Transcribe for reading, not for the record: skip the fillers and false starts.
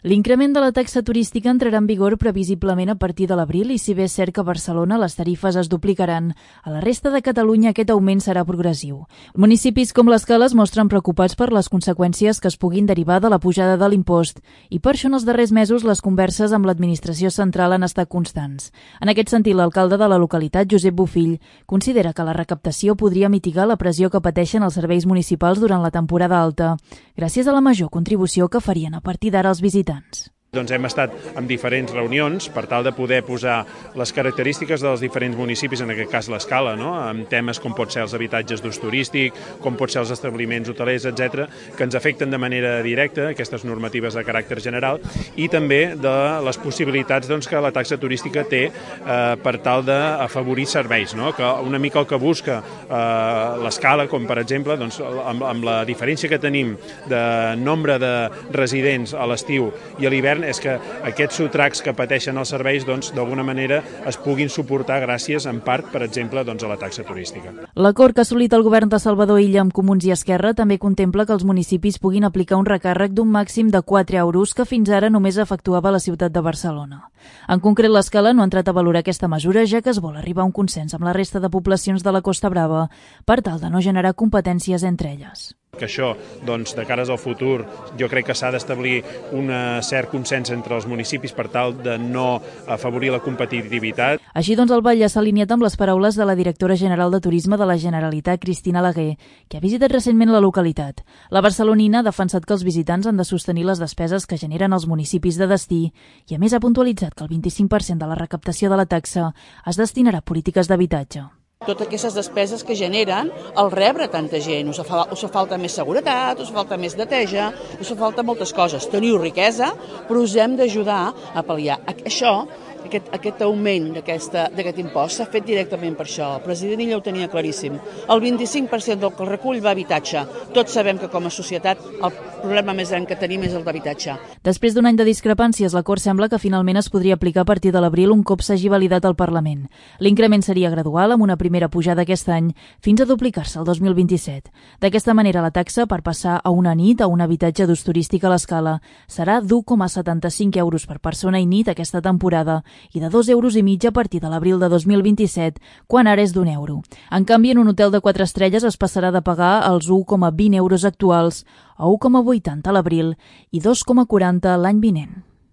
L'increment de la taxa turística entrarà en vigor previsiblement a partir de l'abril i si bé és cert que a Barcelona les tarifes es duplicaran, a la resta de Catalunya aquest augment serà progressiu. Municipis com l'Escala es mostren preocupats per les conseqüències que es puguin derivar de la pujada de l'impost i per això en els darrers mesos les converses amb l'administració central han estat constants. En aquest sentit, l'alcalde de la localitat, Josep Bofill, considera que la recaptació podria mitigar la pressió que pateixen els serveis municipals durant la temporada alta, gràcies a la major contribució que farien a partir d'ara els visitants. Doncs hem estat en diferents reunions per tal de poder posar les característiques dels diferents municipis, en aquest cas l'Escala, no? Amb temes com pot ser els habitatges d'ús turístic, com pot ser els establiments hotelers, etc., que ens afecten de manera directa, aquestes normatives de caràcter general, i també de les possibilitats que la taxa turística té per tal d'afavorir serveis, no? Que una mica el que busca l'Escala, com per exemple, amb la diferència que tenim de nombre de residents a l'estiu i a l'hivern, és que aquests sotracs que pateixen els serveis d'alguna manera es puguin suportar gràcies en part, per exemple, a la taxa turística. L'acord que ha assolit el govern de Salvador Illa amb Comuns i Esquerra també contempla que els municipis puguin aplicar un recàrrec d'un màxim de 4 euros que fins ara només efectuava la ciutat de Barcelona. En concret, l'Escala no ha entrat a valorar aquesta mesura, ja que es vol arribar a un consens amb la resta de poblacions de la Costa Brava per tal de no generar competències entre elles. Que això, de cares al futur, jo crec que s'ha d'establir un cert consens entre els municipis per tal de no afavorir la competitivitat. Així doncs, el Batlle s'ha alineat amb les paraules de la directora general de Turisme de la Generalitat, Cristina Laguer, que ha visitat recentment la localitat. La barcelonina ha defensat que els visitants han de sostenir les despeses que generen els municipis de destí i, a més, ha puntualitzat que el 25% de la recaptació de la taxa es destinarà a polítiques d'habitatge. Totes aquestes despeses que generen el rebre tanta gent. Us fa falta més seguretat, us falta més neteja, us fa falta moltes coses. Teniu riquesa, però us hem d'ajudar a pal·liar. Això, aquest augment d'aquest impost s'ha fet directament per això. El president Illa ho tenia claríssim. El 25% del que el recull va a habitatge. Tots sabem que com a societat el problema més gran que tenim és el d'habitatge. Després d'un any de discrepàncies, l'acord sembla que finalment es podria aplicar a partir de l'abril un cop s'hagi validat al Parlament. L'increment seria gradual, amb una primera pujada aquest any, fins a duplicar-se el 2027. D'aquesta manera, la taxa, per passar a una nit a un habitatge d'ús turístic a l'Escala, serà d'1,75 euros per persona i nit aquesta temporada i de 2,5 euros a partir de l'abril de 2027, quan ara és d'1 euro. En canvi, en un hotel de 4 estrelles es passarà de pagar els 1,20 euros actuals a 1,80 a l'abril i 2,40 l'any vinent.